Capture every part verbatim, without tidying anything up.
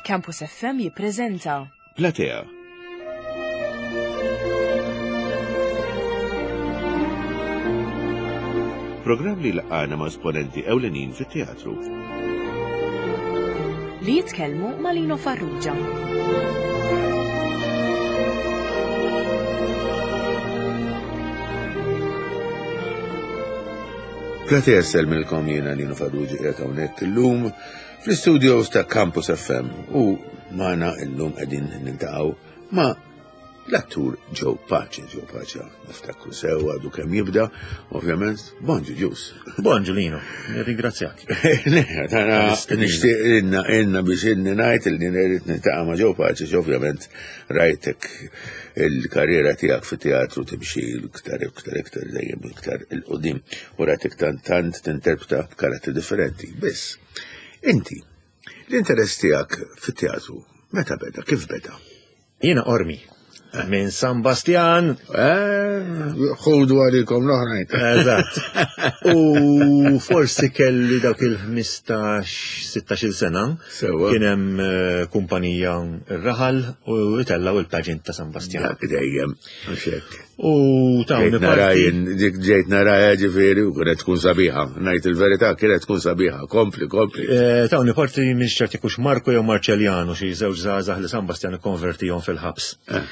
Campus F M jippreżenta Platea. Programm li laqana ma' esponenti ewlenin fit-teatru. Li jitkellmu ma' Lino Farrugia. Platea, nsellmilkom, jiena Lino Farrugia, qiegħed hawnhekk illum fl-studios ta' Campus F M u magħna illum qegħdin niltaqgħu ma' l-attur Joe Pace. Joe Pace, niftakru sew, għadu kemm jibda, ovvjament, bonġu ġus. Bonġu Lino, ringrazzjak. Le, tana nixtieq inna inna biex inni ngħid li rrid niltaqa' ma' Joe Pace, ovvjament rajtek il-karriera tiegħek fit-teatru timxi iktar iktar iktar dejjem iktar 'il quddiem u rajtek tant tant tinterpreta karattri differenti. Biss, inti, l-interess tiegħek fit-teatru meta beda, kif beda? Jiena Qormi. Minn San Bastian. Eh, ħudu għalikom l-oħrajn. Eżatt. U forsi kelli dawk il-ħmistax sittax-il sena. Sewa. Kien hemm eh, kumpanija r-raħal u itellaw il-pageant ta' San Bastian. Dak dejjem, għax hekk. U tawni Ġejt nara parti. jien, dik ġejt nara, ġifieri, u kienet tkun sabiħa. Ngħid il-verità, kienet tkun sabiħa. Kompli, kompli. Eh, Tawni parti minn ċerti kux Marko jew Marċeljano, xi żewġ żgħażagħ li San Bastian ikkonvertihom fil-ħabs. Eh.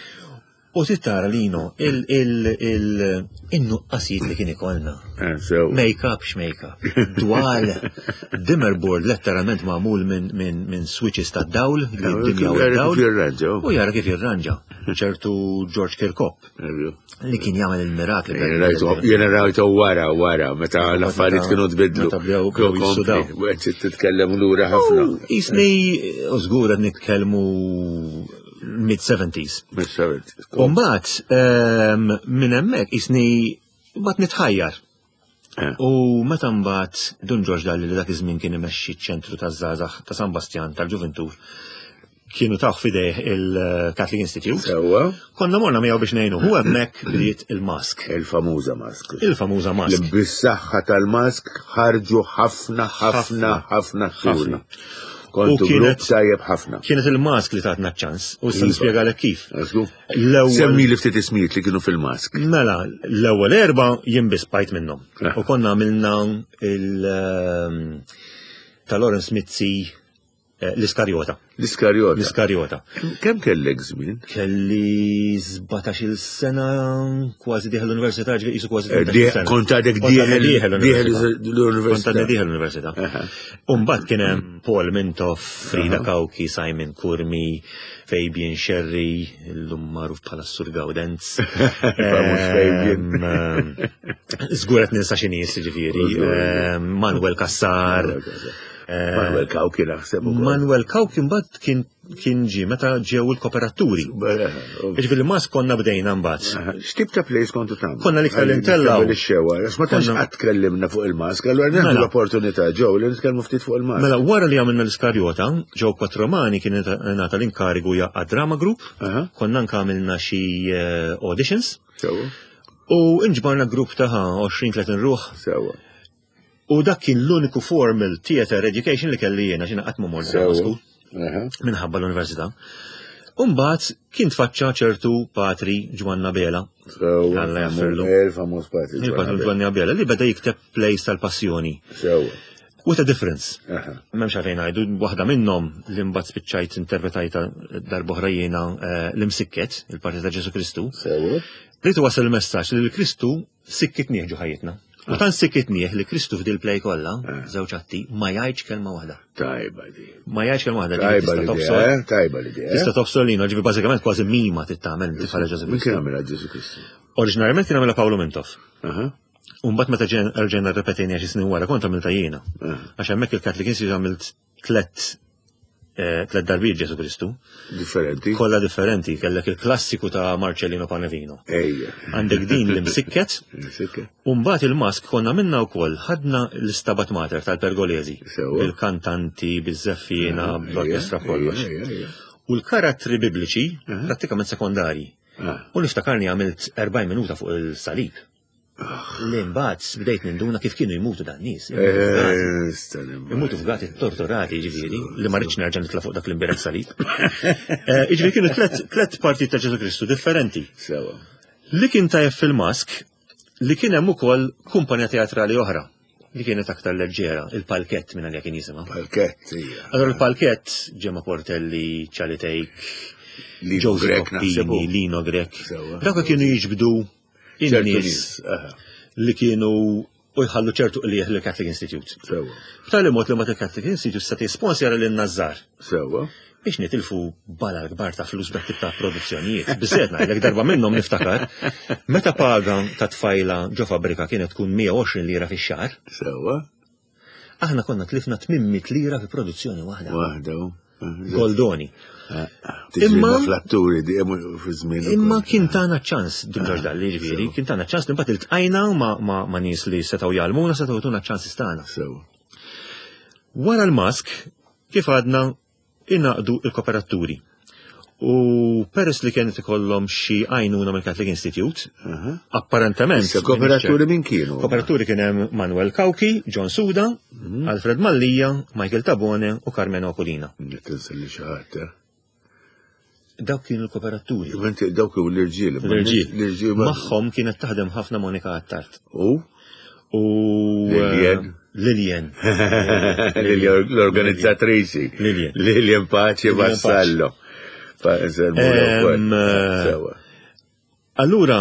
U tittara Lino, il-nuqqasijiet li kien ikollna. Eh, sew. Make-up x-make-up. Dwal. Dimmer board letteralment magħmul minn min, min switches ta' dawl, li d-dinja u Jara dawl. kif jirranġa. U jara kif jirranġa. Ċertu George Kirkop, li kien jagħmel il-mirakli. Jena rajtu wara, wara, meta l-affarijiet kienu tbidlu. Meta bdew bdew jissudaw. Għed titkellem lura ħafna. Jisni, u żgur qed nitkellmu mid-seventies. Mid-seventies. U mbagħad ehm, minn hemmhekk jisni mbagħad nitħajjar. Eh. U meta mbagħad Dun Ġorġ Dalli, li dak iż-żmien kien imexxi ċ-ċentru taż-żgħażagħ ta' San Bastian tal-Ġuventur, kienu taw f'idejh il-Catholic Institute. Sewa, Konna morna miegħu biex ngħinu. Hu hemmhekk bdiet il-Mask. Il-famuża Mask. Il-famuża Mask. Li bis-saħħa tal-Mask ħarġu ħafna, ħafna, ħafna atturi. Ħafna. Kontu U kienet- grupp tajjeb ħafna. Kienet il-Mask li tatna ċans u issa Iva. nispjegalek kif. Għasku? L-ewwel Semmi li ftit ismijiet li kienu fil-Mask. Mela, l-ewwel erba jien biss bqajt minnhom. Ah. U konna għamilna il ehm, ta' Lawrence Mizzi, eh, l-Iskarjota. L-Iskarjota. L-Iskarjota. Kemm kellek żmien? Kelli sbatax-il sena, kważi dieħel l-università, ġifieri qisu kważi Eh, tmintax-il die- sena. Kont għadek Kont għadni dieħel dieħel dieħel l-università. l-università. Kont għadni dieħel l-università. Aha. Umbagħad kien hemm Paul Mintoff, Frida Aha. Cauchi, Simon Curmi, Fabian Sherry, illum magħruf bħala Sur Gaudenz. Famuż Fabian. Ehm, ehm, Żgur qed ninsa xi nies, ġifieri. Żgur. Ehm, Manuel Cassar. Manuel Cassar. Eh, Manuel Cauchi naħseb ukoll. Manuel Cauchi mbagħad kien kien ġie meta ġew il-kooperaturi. Ġifieri Mask konna bdejna mbagħad. X'tip ta' plays kontu tagħmlu? Konna l-iktar li ntellgħu. Ix-xewa, għax ma tantx Konna- qatt tkellimna fuq il-Mask, allura nieħdu Mela. l-opportunità ġew li nitkellmu ftit fuq il-Mask. Mela, wara li għamilna l-Iskarjota, Joe Quattromani kien ngħata l-inkarigu jaqqa drama group, Aha. konna anka għamilna xi eh, auditions, Sewa, u inġbarna grupp ta' għoxrin tletin ruħ, sewa. u dak kien l-uniku formal theater education li kelli jiena, xina qatt ma mort drama Sewa. school Aha. minħabba l-università. Umbagħad kien tfaċċa ċertu Patri Ġwanna Bela, Sewa. Alla jaghfirlu. Il-famuż Patri. Il-Patri Ġwanna Bela li beda jikteb plays tal-passjoni. Sewa. With a difference. Aha. M'hemmx għalfejn ngħidu, waħda minnhom li mbagħad spiċċajt interpretajta darb'oħra jiena, eh, l-Imsikket, il-parti ta' Ġesu Kristu. Sewa. Rrid wasal il-messaġġ li l-Kristu sikkitnieh ġo ħajjitna. U tant sikkitnieh li Kristu f'dil play kollha, Eh. żewġ atti, ma jgħidx kelma waħda. Tajba di. Ma jgħidx kelma waħda, ġifieri Tajba tista' l-idea, tobsor. eh? Tajba l-idea. Tista' tobsor lino, ġifieri bażikament kważi mima tittamel bħala Ġesu Min kien Kristu. għamilha Ġesu Kristu? Oriġinarjament kien għamilha Paolo Mintoff. Aha. U mbagħad meta ġen- rġejna rrepetejna xi snin wara kont għamilta jiena. Aha. Għax hemmhekk il-Catholic Institute għamilt tlet eh, tlet darbiet Ġesu Kristu. Differenti. Kollha differenti, kellek il-klassiku ta' Marcellino Panevino. Ejja. Għandek din l-Imsikket, Sikket. u mbagħad il-Mask konna minna wkoll ħadna l-Stabat Mater tal-Pergolesi. Sewa. Il-kantanti, biż-żeffiena, bl-orkestra, kollox. Ejja, ejja. U l-karattri bibliċi Aha. prattikament sekondari. Ah. U niftakarni għamilt erbgħin minuta fuq il-salib. Li mbagħad bdejt ninduna kif kienu jmutu dan nies. Eh, Imutu fgati torturati, ġifieri, li ma rridx nerġa' nitla' fuq dak l-imbierek salib. Eh, Ġifieri kienu tlet tlet parti ta' Ġesu Kristu differenti. Sewa. Li kien tajjeb fil-mask, li kien hemm ukoll kumpanija teatrali oħra li kienet aktar leġġera, il-palkett minn għalija kien jisimha. Palkett, hija. Allora il-palkett, Gemma Portelli, Charlie Take, Lino Joseph Grech naħseb hu. Coppini, Lino Grech. Sewa. Dawk kienu jiġbdu ċertu in-nies nies, aha, li kienu u jħallu ċertu qliegħ lill-Catholic Institute. Sewa. B'tali mod li ma il-Catholic Institute se tisponsjara lil Nazzar Sewa. biex nitilfu bala l-kbar ta' flus b'dak tip ta' produzzjonijiet. Biżżejjed ngħidlek darba minnhom niftakar, meta paga ta' tfajla ġo fabbrika kienet tkun mija u għoxrin lira fix-xahar, Sewa. aħna konna tlifna tmien mitt lira fi produzzjoni waħda. Waħda. u. Goldoni. Imma Imma- fl-atturi di fi żmien. Imma kien tana ċans, Dun Ġorġ Dalli ġifieri, kien tana ċans li mbagħad iltqajna ma' ma' ma' nies li setgħu jgħallmuna, setgħu jtuna ċans tagħna. Sewa. Wara l-mask, kif għadna, ingħaqdu il-kooperaturi. U peress li kienet ikollhom xi għajnuna mill-Catholic Institute, apparentement. Issa kooperaturi min kienu? Kooperaturi kien hemm Manuel Cauchi, John Suda, Alfred Mallia, Michael Tabone u Carmelo Akulina. Tinsa li xi ħadd, eh? Dawk kienu l-kooperaturi. Inti dawk kienu l-irġiel. imma L-irġiel. L-irġiel. ma- Magħhom kienet taħdem ħafna Monika Attard. U? U Lilian. eh, Lilian. L-organizzatriċi. Lilian. Lilian Pace Lilian Pace. Vassallo. Fa- nselmulha wkoll. Em, eh, Sewa. Allura,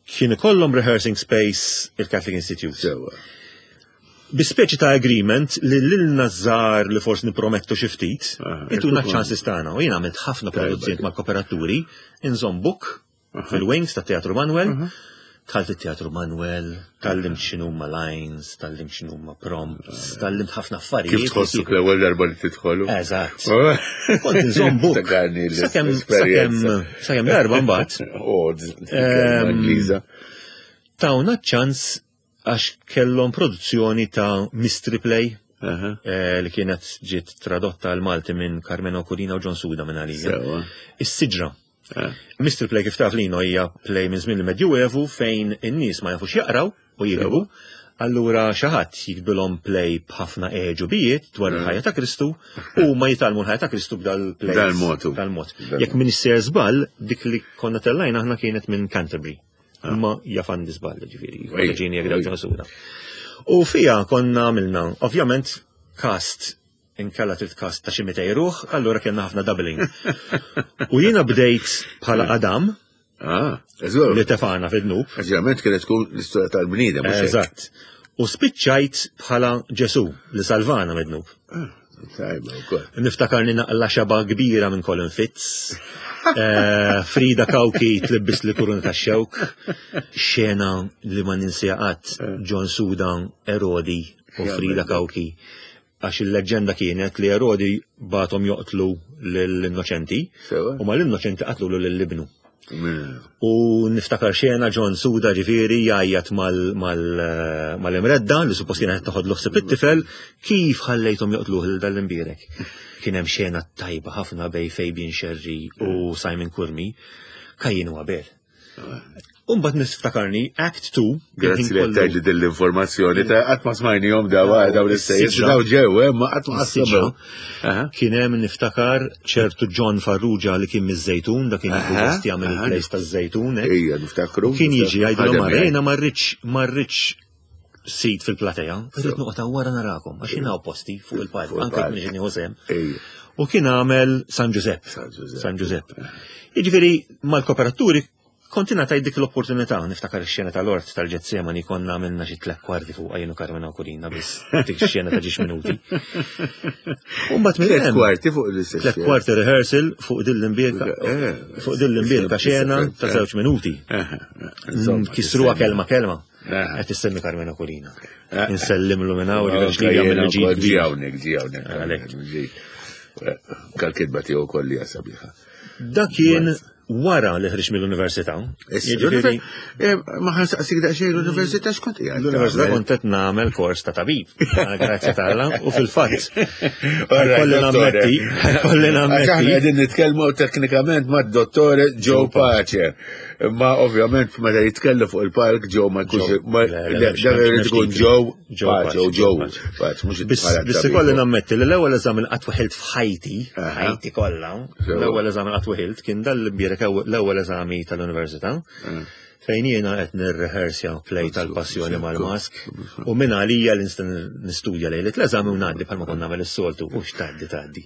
kien ikollhom rehearsing space il-Catholic Institute. Sewa. Bi speċi ta' agreement li lilna żgħar li forsi nipromettu xi ftit, Aha, ituna ikun- ċansi tagħna. U jien għamilt ħafna Tajba produzzjonijiet dik. mal-kooperaturi, inżomm book fil-wings ta' Teatru Manuel, dħalt it-Teatru Manuel, tgħallimt x'inhuma lines, tgħallimt x'inhuma prompts, tgħallimt ħafna affarijiet. Kif tħossuk l-ewwel darba li tidħolu? Eżatt. Kont inżomm book. Ftakarni Sakemm l-esperjenza. sakemm sakemm darba mbagħad Oh, Em, Ingliża. tawna ċans għax kellhom produzzjoni ta' Mystery Play Aha. eh, li kienet ġiet tradotta għal Malti minn Carmelo Akulina u John Suda minn għalija. Sewa. Is-siġra. Ah. Mystery Play kif taf Lino hija play minn żmien il-Medjuevu fejn in-nies ma jafux jaqraw u jiktbu. Allura xi ħadd jiktbilhom play b'ħafna għeġubijiet dwar il-ħajja ta' Kristu u ma jitgħallmu l-ħajja ta' Kristu b'dal-play. Dal-mod. Dal-mod. Dal-mod. Jekk minn sejjer żball, dik li konna tellajna aħna kienet minn Canterbury. Ma jaf għandi żball, ġifieri, Ej, ġini jekk ej. John Suda. U fija konna għamilna, ovvjament, cast inkella trid cast ta' xi mitej ruħ, allura kellna ħafna doubling. U jiena bdejt bħala Adam Ah, eżgur. li tefana fid-dnub. Ġeneralment kienet tkun l-istorja tal-bniedem. mhux hekk? Eżatt. U spiċċajt bħala Ġesu li salvana mid-dnub. Tajba wkoll. Niftakarni naqla xaba kbira minn Colin Fitz. Eh, Frida Cauchi tlibbis li kuruna ta' xewk. Xena li ma ninsija qatt John Suda, Erodi u Frida Cauchi. Għax il-leġenda kienet li Erodi bagħathom joqtlu l-innoċenti Sewa. u ma l-innoċenti qatlu l-libnu. Mm. U niftakar xena John Suda ġifieri jgħajjat mal-imredda li suppost kienet taħod l it-tifel kif ħallejthom joqtluh lil dal-imbierek. Kien hemm xena tajba ħafna bejn Fabian Sherry u Simon Curmi, Kajin u Abel. Umbat niftakarni Act two. Grazzi li għattajt dell-informazzjoni ta' qatt ma smajnihom daw daw l-istejjes, Is-siġra. daw ġew, eh, ma qatt ma Is-siġra. Aha. Kien hemm niftakar ċertu John Farrugia li kien miż-Żejtun, dak kien Aha, jieħu gost jagħmel aha. il-place taż-Żejtun. hekk. Ejja, niftakru. Kien jiġi jgħidilhom Ħadem ara jgħid. jiena ma rridx ma rridx sit fil-platea, rrid noqgħod wara narakom għax jiena hawn posti fuq il-palk, Fuq anke il-palk. jekk m'iniex nieħu sehem. Ejja. U kien għamel San Giuseppe. San Giuseppe. San Giuseppe. Jiġifieri mal-kooperaturi kont ingħatajt dik l-opportunità, niftakar ix-xena tal-ort tal-Ġetsemani konna għamilna xi tliet kwarti fuq jien u Carmelo Akulina biss dik ix-xena ta' ġiex minuti. U mbagħad minn Tliet hemm kwarti fuq l-istess. tliet kwarti rehearsal fuq din l-imbierka Eh, fuq din l-imbierka xena ta' żewġ minuti. Insomma, Kisruha kelma kelma. Aha. Qed issemmi Carmelo Akulina. Eh. Insellimlu minn hawn Ok, ġifieri jagħmel jiena ġid wkoll kbir. ġi hawnhekk, ġi hawnhekk. Għalhekk. Ġi. Kal-kitba tiegħu wkoll hija sabiħa. Dak kien Wara li ħriġt mill-università. Issa, Jiġifieri, l-univer- eh, Ma ħa nsaqsik daqsxejn l-università x'kont qiegħed L-università tagħmel? kont qed nagħmel kors ta' tabib. Grazzi t'Alla. U fil-fatt, All right, kolli dottore. nammetti, kolli Għax aħna nammetti. qegħdin nitkellmu teknikament mad-dottore Joe Pace. Ma ovvjament meta jitkellem fuq il-palk Joe ma jkunx Joe, ma- le, le, le, mhux- dan irid mhux ikun titlu. Joe Joe Pace Pace, u Joe Joe Pace. Pace, mhux Biss bħala biss tabib. ikolli nammetti li l-ewwel eżami li qatt weħilt f'ħajti, Aha. ħajti kollha, Sewa. l-ewwel eżami li qatt weħilt kien dal-bierek l-ewwel eżami tal-università. Fejn jiena qed nirrehersja play tal-passjoni mal-mask u minn għalija li nista' nistudja lejlet l-eżami u ngħaddi bħalma konna nagħmel is-soltu u x'tgħaddi tgħaddi.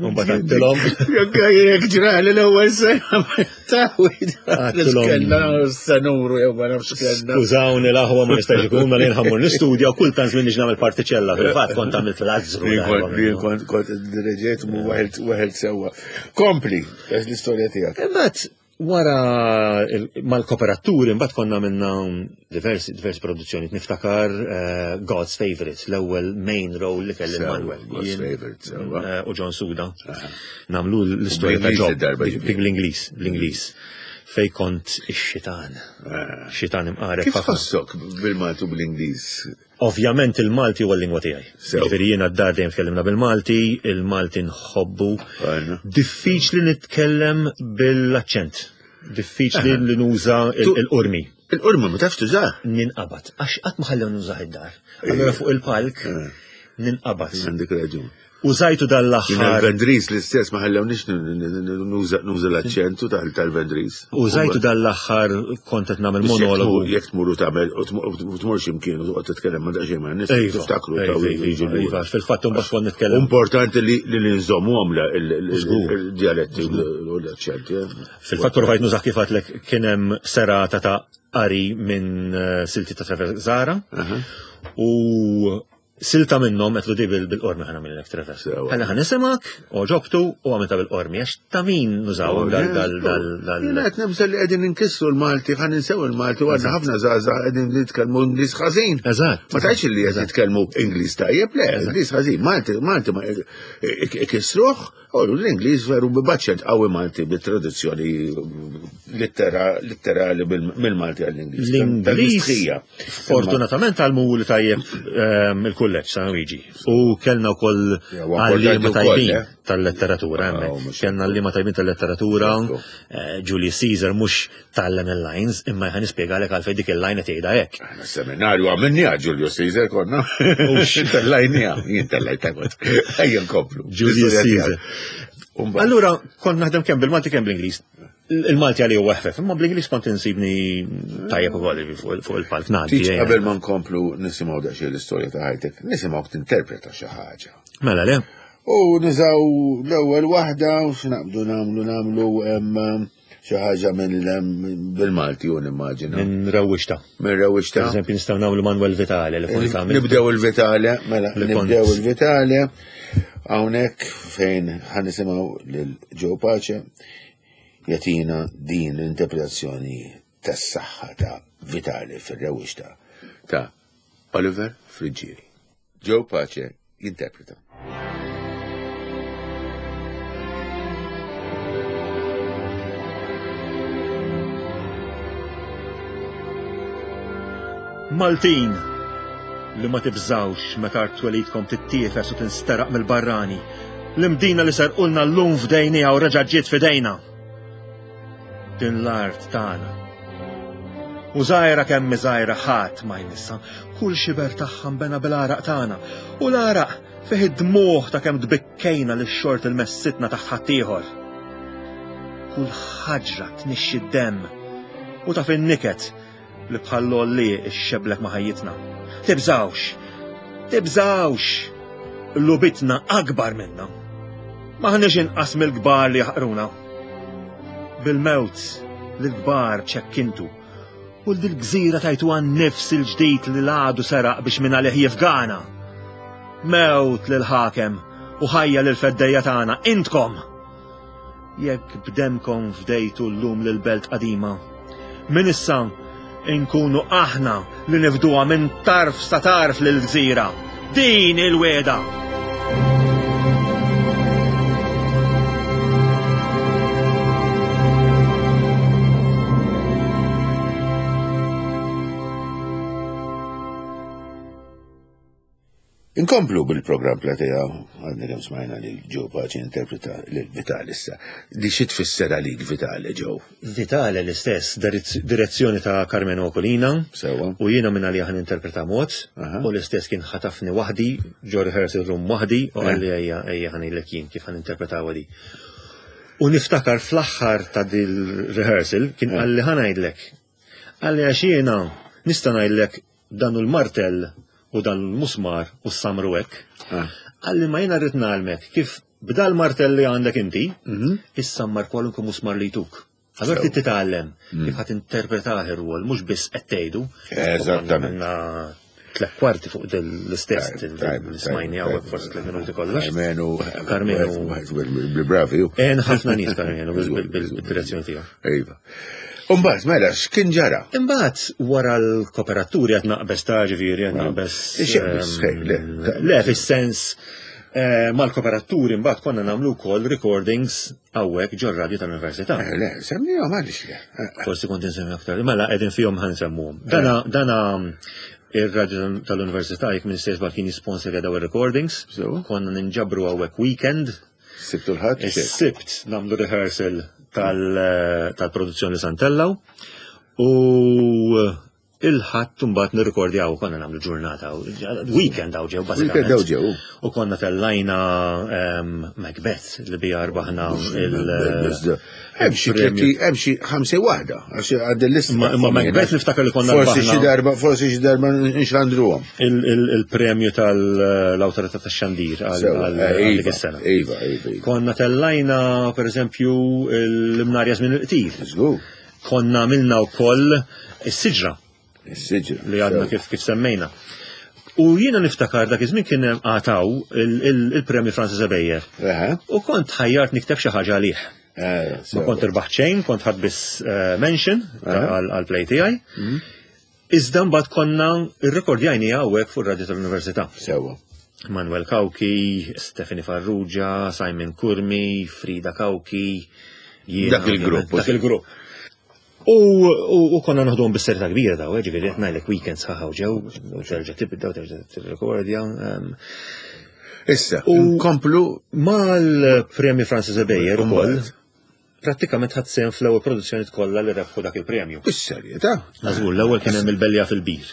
U mbagħad għedtilhom Jekk jekk ġrali l-ewwel sena tawid. Għedtilhom. Kellna sanuru jew ma nafx kellna. Skużawni l-aħwa ma nistax ikun ma li nħammur nistudja u kultant żmien nagħmel partiċella fil-fatt kont għamilt l-azzru. Jien darba kont jien minnu. kont kont direġejt mu waħelt waħelt sewwa. Kompli, għax l-istorja tiegħek. Imbagħad wara il- mal-kooperaturi mbagħad konna minna diversi diversi produzzjoni niftakar eh, God's Favorite, l-ewwel main role li kelli Sewa, Manuel. God's Jien, Favorite, sewa. eh, U John Suda. Namlu l-istorja ta' Bl-Ingliż Job. id-darba Dik ġifieri. Bl-Ingliż, bl-Ingliż. Fej kont ix-xitan. Xitan imqareb Kif ħafna. tħossok bil-Malti u bl-Ingliż? Ovvjament il-Malti huwa l-lingwa tiegħi. Sew. Ġifieri jiena d-dar dejjem tkellimna bil-Malti, il-Malti nħobbu. Għajna. Diffiċli nitkellem bil-aċċent. Diffiċli li nuża il- Tu- il-qurmi. Il-qurma ma tafx tuża. Ninqabad. Għax qatt ma ħallew nużah id-dar. Allura fuq il-palk ninqabad. Għandek raġun. Użajtu Jina dal-aħħar. l-Vendris l-istess ma ħallewniex nuża nuża l-aċċentu tal- tal-Vendris. Użajtu dal-aħħar kont qed nagħmel Biss jekk monologu. tmur- Jekk tmur u tagħmel u tmur- u tmur x'imkien u toqgħod titkellem ma daqsxejn ma' nies Iva, tiftakru iva, taw iva, jiġu lura. iva, fil-fatt imbagħad kont nitkellem. Importanti li li nżommu għamla Żgur. il-dialetti u l-aċċenti. eh. Fil-fatt provajt nużah kif għedtlek kien hemm serata ta' qari minn eh, silti ta' Trevor Zara u silta minnhom qed di bil-qormi ħana minnlek Trevor. Sewa. Ħalli ħa nisimak, oġobtu u għamilta bil-qormi għax ta' min nużaw dal dal dal dal. Jena qed nibża' li qegħdin inkissru l-Malti, ħa ninsew il-Malti u għandna ħafna żgħażagħ qegħdin nitkellmu Ingliż ħażin. Eżatt. Ma tgħidx li qed jitkellmu Ingliż tajjeb, le, Ingliż ħażin, Malti, Malti ma ikissruh, u l-Ingliż veru b'aċċent qawwi Malti bit-traduzzjoni littera- litterali bil- mill-Malti għall-Ingliż. L-Ingliż, Tal-mistrija. fortunatament għalmu li tajjeb ehm, il-kulleġġ San Luigi. U kellna wkoll Ja, huwa importanti għalliema wkoll, tajbin eh? tal-letteratura Ah, hemmhekk. mhux- Kellna għalliema tajbin tal-letteratura, Ekku. eh, Julius Caesar mhux tallem il-lines, imma ħa nispjegalek għalfejn dik il-line qed jgħidha hekk. Aħna seminarju għamilniha Julius Caesar konna. Tellajniha, jien tellajta kont. Ejja nkomplu. Julius Caesar. Umbagħad. Allura kont naħdem kemm bil-Malti kemm bl-Ingliż. Il-Malti għalli huwa ħfef, imma bl-Ingliż kont insibni tajjeb ukoll fuq fuq il-palk ngħaddi. Tiġ eh. qabel ma nkomplu nisimgħu daqsxejn l-istorja ta' ħajtek, nisimgħu tinterpreta xi ħaġa. Mela le, U niżaw l-ewwel waħda u x'naqbdu nagħmlu nagħmlu em, xi ħaġa minn em, bil-Malti u nimmaġina. minn rewwixta. Minn rewwixta. Per eżempju nistgħu nagħmlu Manuel Vitale li kont għamilt. Nibdew il-Vitale, mela Li kont- nibdew il-Vitale hawnhekk fejn ħa nisimgħu lil Joe Pace jagħtina din l-interpretazzjoni tas-saħħa ta' Vitale fir-rewwixta ta' Oliver Friggieri. Joe Pace jinterpreta. Maltin li ma tibżawx meta art twelidkom tittiefes u tinsteraq mill-barrani. L-imdina li serqulna llum f'dejniha u reġa' ġiet f'idejna. Din l-art tagħna. U żgħira kemm żgħira ħadd ma jmissha, kull xiber tagħha nbena bil-għaraq tagħna. U l-għaraq fih id-dmuħ ta' kemm tbikkejna li x-xort il-messitna taħt ħaddieħor. Kull ħaġra tnixxi d-demm u taf in-niket li bħal-lolli xxeblek ma' ħajjitna. Tibżawx! Tibżawx! Lubitna akbar minna. Maħniex inqas mill-kbar li jaħqruna. Bil-mewt l-kbar ċekkintu u l-dil-gżira tajtu għan nifs il-ġdid li l-għadu seraq biex minn għalih jifgana. Mewt lil-ħakem u ħajja lil-feddejja tagħna intkom! Jekk bdemkom fdejtu l-lum lil-belt qadima. Min issa inkunu aħna li nifduha minn tarf sa tarf lil-gżira. Din il-weda! Inkomplu bil-programm Platea, għadna kemm smajna li Joe Pace interpreta lil Vitale issa. Di xi tfisser għalik Vitale, Joe? Vitale l-istess, direzzjoni ta' Carmenu Aquilina. Sewwa. U jiena minn għalija ħan interpreta mod, u l-istess kien ħatafni waħdi, ġo rehearsal room waħdi, u qalli ejja ejja ħa ngħidlek jien kif ħan interpretaw di. U niftakar fl-aħħar ta' dil-rehearsal kien qalli ħa ngħidlek. Qalli għax jiena nista' ngħidlek dan il-martell u dan l-musmar u s-samru hekk. Qalli ma jiena rrid ngħallmek kif b'dal martell li għandek inti, issammar kwalunkwe musmar li jtuk. Allora trid titgħallem kif ħadd interpretah ir-rwol, mhux biss qed tgħidu. Eżattament. Tliet kwarti fuq l-istess smajni hawnhekk forsi tliet minuti kollox. Carmenu. Carmenu. Bravi. En ħafna nies Carmenu bil-direzzjoni tiegħu. Iva. Imbagħad mela x'kien ġara? Imbagħad wara l-kooperaturi qed naqbeż ta' ġifieri qed naqbeż. Le fis-sens mal-kooperaturi mbagħad konna nagħmlu wkoll recordings hawnhekk ġor-radju tal-Università. Le, semmihom għaliex le. Forsi kont insemmi aktar. Mela qegħdin fihom ħa nsemmuhom. Dana dana ir-radju tal-Università jekk minn stess kien jisponsorja daw ir-recordings. Konna ninġabru hawnhekk weekend. Sibt u l-Ħadd? Is-Sibt nagħmlu rehearsal tal-produzzjoni Santellaw u il-Ħadd mbagħad nirrekordjaw, konna nagħmlu ġurnata, weekend hawn ġew bażikament. Weekend hawn ġew. U konna tellajna Macbeth li bija rbaħna il- Hemm xi tletti, hemm xi ħamsa waħda, għax għad il-lista. Ma Macbeth niftakar li konna Forsi xi darba, forsi xi darba nxandruhom. Il-premju tal-Awtorità tax-Xandir għal dik is-sena. Iva, iva. Konna tellajna pereżempju l-Imnarja żmien il-qtil. Żgur. Konna għamilna wkoll is-siġra. Is-siġra. Li għadna kif kif semmejna. U jiena niftakar dak iż-żmien kien għataw il-premju Francis Ebejer. U kont ħajjart nikteb xi ħaġa għalih. Ma kont irbaħt xejn, kont ħadd biss mention għal-play tiegħi. Iżda mbagħad konna rrekordjajni hawnhekk fuq ir-radju tal-Università. Sewwa. Manuel Cauchi, Stephanie Farrugia, Simon Curmi, Frida Cauchi. Dak il-grupp. Dak il-grupp. U konna naħduhom bis-serjetà kbira daw, ġifieri qed ngħidlek weekends ħaħaw ġew, u terġa' tibda u terġa' tirrekordja. Issa, nkomplu mal-premju Francis Ebejer ukoll. Prattikament ħadd sehem fl-ewwel produzzjoni kollha li rebħu dak il-premju. Bis-serjetà? Żgur, l-ewwel kien hemm il-Belja fil-Bir.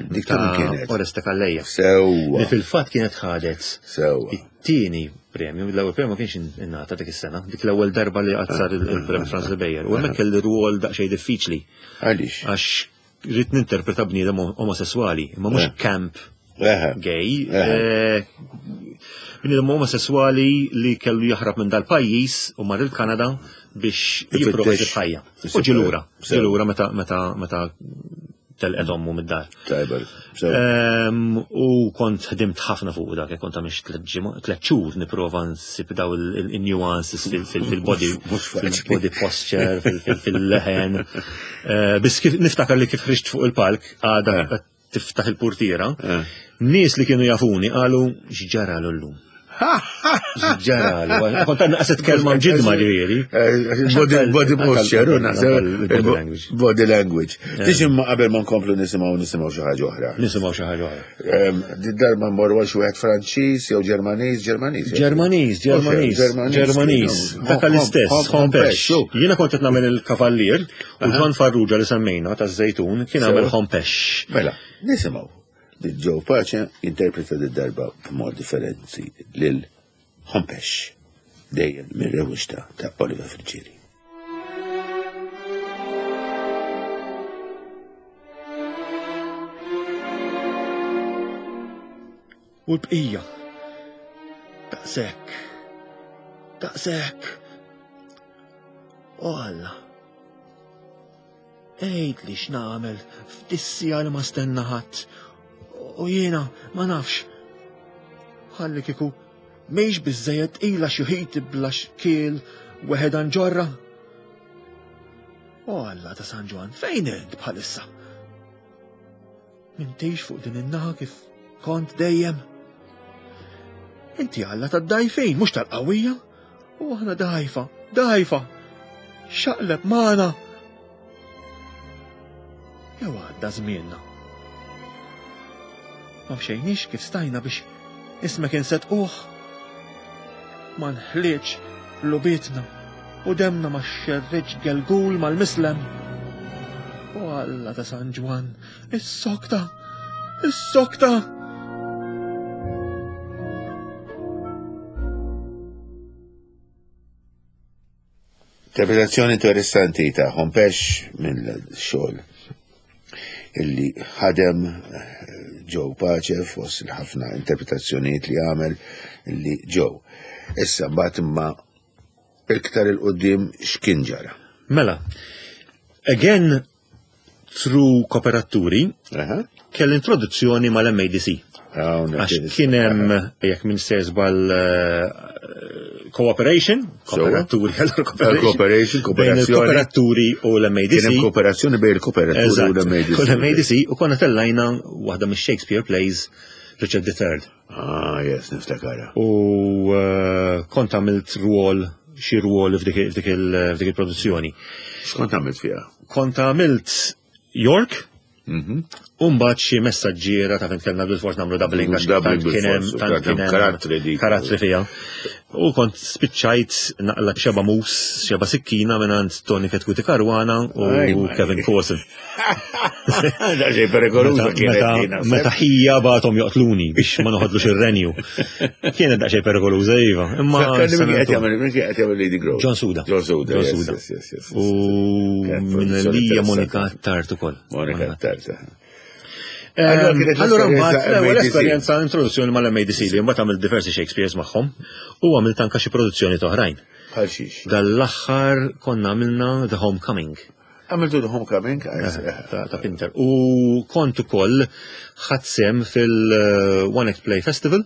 Dik ta' kienet. Oreste Calleja. Sewwa. Li fil-fatt kienet ħadet. Sewwa. It-tieni premju, l-ewwel premju ma kienx ingħata dik is-sena, dik l-ewwel darba li qatt sar il-premju Francis Ebejer. U hemmhekk kelli rwol daqsxejn diffiċli. Għaliex? Għax rrid ninterpreta bniedem omosessuali, imma mhux camp gay. Bniedem omosessuali li kellu jaħrab minn dal-pajjiż u mar il-Kanada biex jipprova jsib ħajja. U ġie lura, ġie lura meta meta meta telqet ommu mid-dar. U kont ħdimt ħafna fuq dak, kont għamix tliet xhur nipprova nsib daw il-nuances fil-body, fil-body posture, fil-leħen. Biss kif niftakar li kif ħriġt fuq il-palk, għada tiftaħ il-portiera, nies li kienu jafuni qalu x'ġaralu llum. Ġaralu, kont għadna qaset kelma mġidma ġifieri. Body posture, body language. Tix imma qabel ma nkomplu nisimgħu nisimgħu xi ħaġa oħra. Nisimgħu xi ħaġa oħra. Darba mmorru għal xi wieħed Franċiż jew Ġermaniż, Ġermaniż. Ġermaniż, Ġermaniż, Ġermaniż. Dak l-istess, Hompesch. Jiena kont qed nagħmel il-Kavallier u John Farrugia li semmejna taż-Żejtun kien għamel Hompesch. Mela, nisimgħu. Joe Pace interpreta d-darba b'mod differenti lil Hompesch, dejjem mir-rewwixta ta' Oliver Friggieri. U l-bqija, daqshekk, daqshekk, o Alla, għidli x'nagħmel f'dissija li ma stenna ħadd. U jiena ma nafx. Ħalli kieku mhix biżżejjed tqila xi ħiti bla xkiel weħeda nġorra. O Alla ta' San Ġwann, fejn int bħalissa? M'intix fuq din in-naħa kif kont dejjem. Inti Alla tad-dajfin, mhux tal-qawwija. U aħna dajfa, dajfa. Xaqleb magħna. Jew għadda żmienna. Ma mxejniex kif stajna biex Ismek insetquh. Ma nħliċ lubitna u demna ma xerriċ gelgul mal-mislem. U Alla ta' San Ġwann, is-sokta, is-sokta! Interpretazzjoni interessanti ta' Hompesch minn xogħol illi ħadem Joe Pace fost il-ħafna interpretazzjonijiet li għamel illi Joe. Issa mbagħad imma iktar il-qudiem x'kien ġara. Mela, again through kooperaturi, kell introduzzjoni mal-M A D C. Għax kien hemm, jekk minn se żball, cooperation, kooperaturi, allora cooperation, Bejn kooperazzjoni. il-kooperaturi u l-M A D C. Kien hemm kooperazzjoni bejn il-kooperaturi u l-M A D C. U l-M A D C, u konna tellajna waħda mix-Shakespeare plays, Richard the Third. Ah, yes, niftakara. U, eh, kont għamilt rwol, xi rwol f'dik, f'dik il-, f'dik il-produzzjoni. X'kont għamilt fiha? Kont għamilt York, Mhm. U mbagħad xi messaġġiera ta' fejn kellna bil-fors nagħmlu doubling għax Doubling tant kien hemm, bil-fors, tant tant kien hemm karattri dik. karattri fiha. U kont spiċċajt naqla xeba mus, xeba sikkina mingħand Tony Chetcuti Caruana u Aj, ma Kevin Kawson. Da xejn perikoluża Meta- kienet meta- din, naħseb. Meta ħija bagħthom joqtluni biex ma noħodlux ir-renju. Kienet daqsxejn perikoluża, iva. Imma Fakkarni min sena qed jagħmel, min qed jagħmel Lady Grove. John Suda. John Suda, John yes, Suda. yes, yes, yes, yes. U Kienet minn produzzjoni lija interessanti. Monica Tart ukoll. Monica Tart. Ehm, Allora kienet Allora l-esperjenza mbagħad l-ewwel M A D C. esperjenza introduzzjoni mal-M A D C li mbagħad għamilt diversi Shakespeare's magħhom u għamilt anke xi produzzjoni oħrajn. Bħal xiex? Dal-aħħar konna għamilna The Homecoming. Għamiltu The Homecoming? Eh, ta', ta' Pinter. U kont ukoll ħadt sehem fil-One Act Play Festival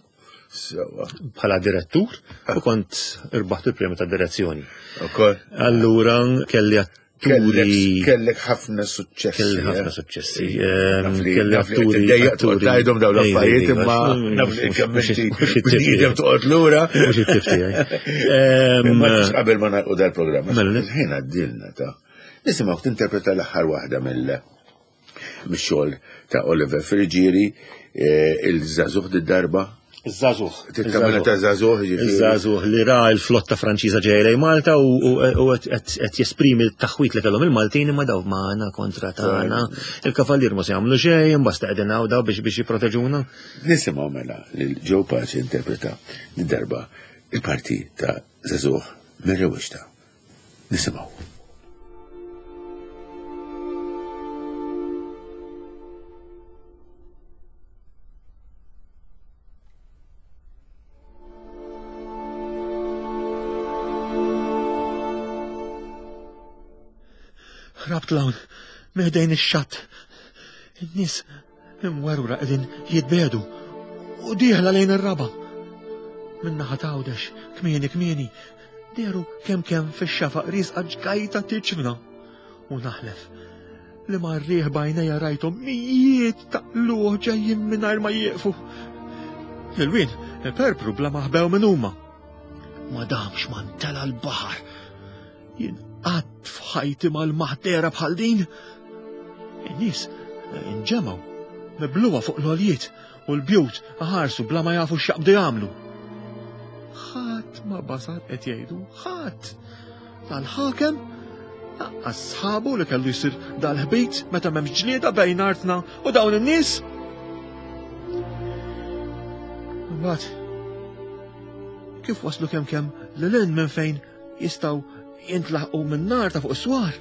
Sewa. bħala direttur u kont irbaħt il-premju ta' direzzjoni. Ukoll. Allura kelli atturi Kellek, kellek ħafna suċċessi, Kelli ħafna eh? suċċessi. Naf Ehm, li- kelli naf li atturi, tiddejjaq atturi. toqgħod tgħidhom dawn Ej, l-affarijiet, ej, imma mhux- naf li mhux- kemm mhux- inti mhux it-tip tiegħi. bniedem toqgħod lura. Mhux it-tip tiegħi. Ehm, Imma mhux qabel ma nagħlqu dal-programm, Mela, le. il-ħin għaddilna ta' nisimgħu tinterpreta l-aħħar waħda mill- mix-xogħol ta' Oliver Friggieri, eh, il-żagħżugħ d-darba. Iż-żagħżugħ. Titkamela ta' żagħżugħ, ġifieri. Iż-żagħżugħ li ra l-flotta Franċiża ġejja lejn Malta u, u, u qed, qed jesprimi l-taħwit li kellhom il-Maltin imma daw magħna kontra tagħna. Il-kavallier ma se jagħmlu xejn, imbagħad qegħdin hawn daw biex, biex jipproteġuna. Nisimgħu mela lil Joe Pace interpreta d-darba il-parti ta' żagħżugħ mir-rewwixta. Nisimgħu. Ħrabt l-hawn, meħdejn ix-xatt. In-nies imwerwra qegħdin jitbedu u dieħla lejn ir-raba. Min-naħa t'Għawdex, kmieni kmieni, dehru kemm kemm fix-xafaq riesqa ġgajta tiċfna. U naħlef li marrieħ bajnejja rajthom mijiet ta' qluħ ġejjin mingħajr ma jieqfu. Il-wien perpru bla ma ħbew minn huma. Ma damx ma ntela l-baħar. Jien qatt f'ħajti mal-maħdera bħal din. In-nies inġemgħu, mibluha fuq l-għoljiet u l-bjut ħarsu bla ma jafu x'jaqbdu jagħmlu. Ħadd ma basar qed jgħidu, ħadd. Dal-ħakem laqqas sħabu li kellu jsir dal-ħbit meta m'hemmx ġlieda bejn artna u dawn in-nies. Imbagħad kif waslu kemm kemm lil hinn minn fejn jistgħu jintlaħqu minn nar ta' fuq is-swar.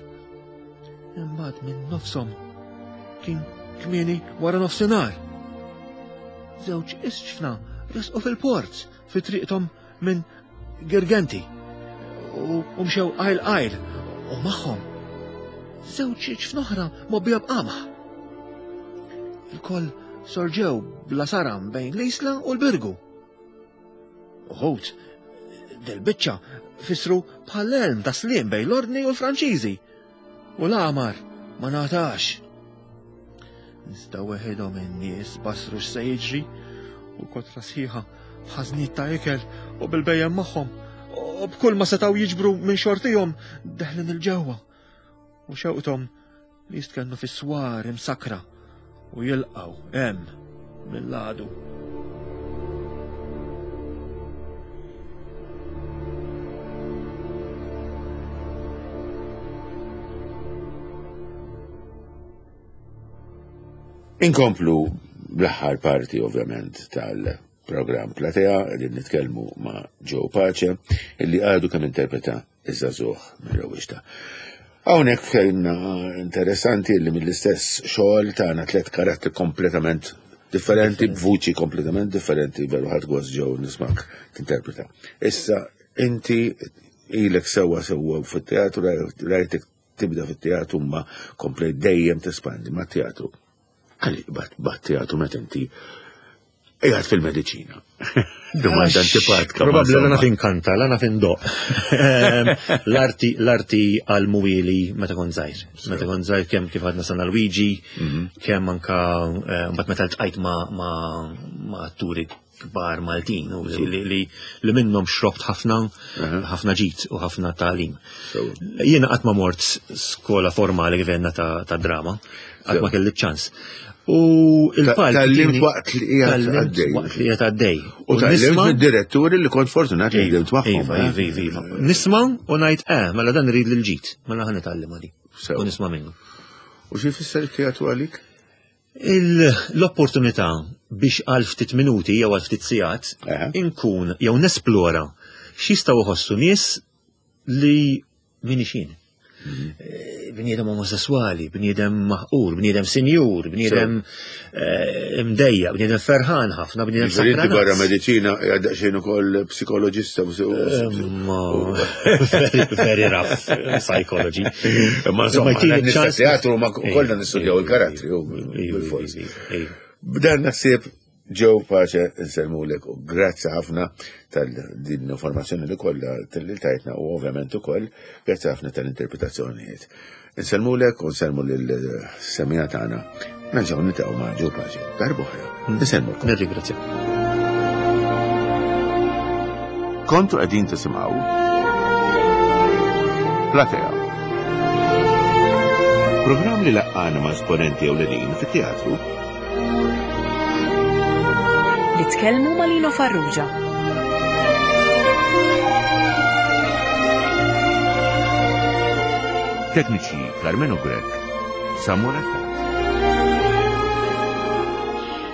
Imbagħad minn nofshom kien kmieni wara nofsinhar. Żewġ isġfna resqu fil-port fi triqthom minn Girgenti u, u mxew qajl qajl u magħhom żewġ iġfna oħra mobbija b'qamħ. Il-koll sorġew bla saram bejn l-Isla u l-Birgu. Uħut, del-biċċa fissru bħal-elm ta' slim bejn l-Ordni u l-Franċiżi. U l-għamar ma natax. Iżda weħidhom in-nies basru x'se jiġri u kotra sħiħa b'ħażniet ta' ikel u bil-bejjem magħhom u b'kull ma setgħu jiġbru minn xortihom deħlin il-ġewwa u xewqthom li jistkennu fis-swar imsakra u jilqgħu hemm mill-għadu. Inkomplu bl-aħħar parti ovvjament tal-programm Platea, qegħdin nitkellmu ma' Joe Pace, illi għadu kemm interpreta iż-żagħżugħ mir-Rewwixta. Hawnhekk kellna interessanti li mill-istess xogħol tagħna tliet karattri kompletament differenti, b'vuċi kompletament differenti, veru ħadt gost Joe nismak tinterpreta. Issa inti ilek sewwa sewwa fit-teatru, rajtek tibda fit-teatru ma komplejt dejjem tespandi ma' teatru. Għalli bat bat teatru meta inti qiegħed fil-mediċina. Domanda antipatika. ma Probabbli la insomma. naf inkanta, la naf indoqq. Ehm, L-arti l-arti għal-muwili meta kont żgħir. Meta kont żgħir kemm kif għadna San Luigi, kemm anka eh, mbagħad meta ltqajt ma' ma' ma' atturi kbar Maltin u li, li, li, li minnhom xrobt ħafna ħafna ġid u ħafna tagħlim. Jiena qatt ma mort skola formali kif għedna ta', ta' drama, qatt ma kelli ċans. U il-palk Tgħallimt tini- waqt li qiegħed tgħallimt għaddej. Waqt li qiegħed għaddej. U tgħallimt nisma' mid-diretturi li kont fortunat li ħdimt magħhom. Iva, eh? iva, iva, iva. Nisma' u ngħid eh, mela dan irid l-ġid, mela ħa nitgħallem għadi. Sew. U nisma' minnu. U xi jfisser it-teatru għalik? Il- L-opportunità biex għal ftit minuti jew għal ftit sigħat Eħe. inkun jew nesplora x'jistgħu jħossu nies li min jien. Eh, Bniedem omosessuali, bniedem maħqur, bniedem sinjur, bniedem eh, imdejjaq, bniedem ferħan ħafna, bniedem Ġifieri inti barra sakranat. mediċina qiegħed daqsxejn ukoll psikoloġista. Ma, very, very rough psychology. Ma insomma, jtini nista' ċans- teatru ma kollna nistudjaw Iva, il-karattri u iva, iva, bil-fors. iva, iva. B'dan naħseb Joe Pace insellmulek u grazzi ħafna tal-din informazzjoni li kollha tal-li tajtna u ovvjament ukoll grazzi ħafna tal-interpretazzjonijiet. Insellmulek u nsellmu lill-semmiegħa tagħna. Nerġgħu niltaqgħu ma' Joe Pace darb'oħra. Insellmulkom. Nirringrazzja. Kontu qegħdin tisimgħu Platea. Programm li laqqana ma' esponenti ewlenin fit-teatru Li tkellmu ma' Lino Farrugia. Tekniċi Carmelo Grech, Samuel Attard.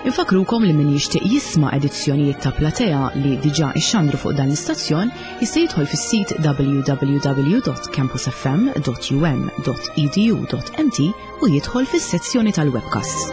Infakrukom li min jixtieq jisma' edizzjonijiet ta' Platea li diġà ixxandru fuq dan l-istazzjon jista' jidħol fis-sit w w w dot campusfm dot u m dot e d u dot m t u jidħol fis-sezzjoni tal-webcast.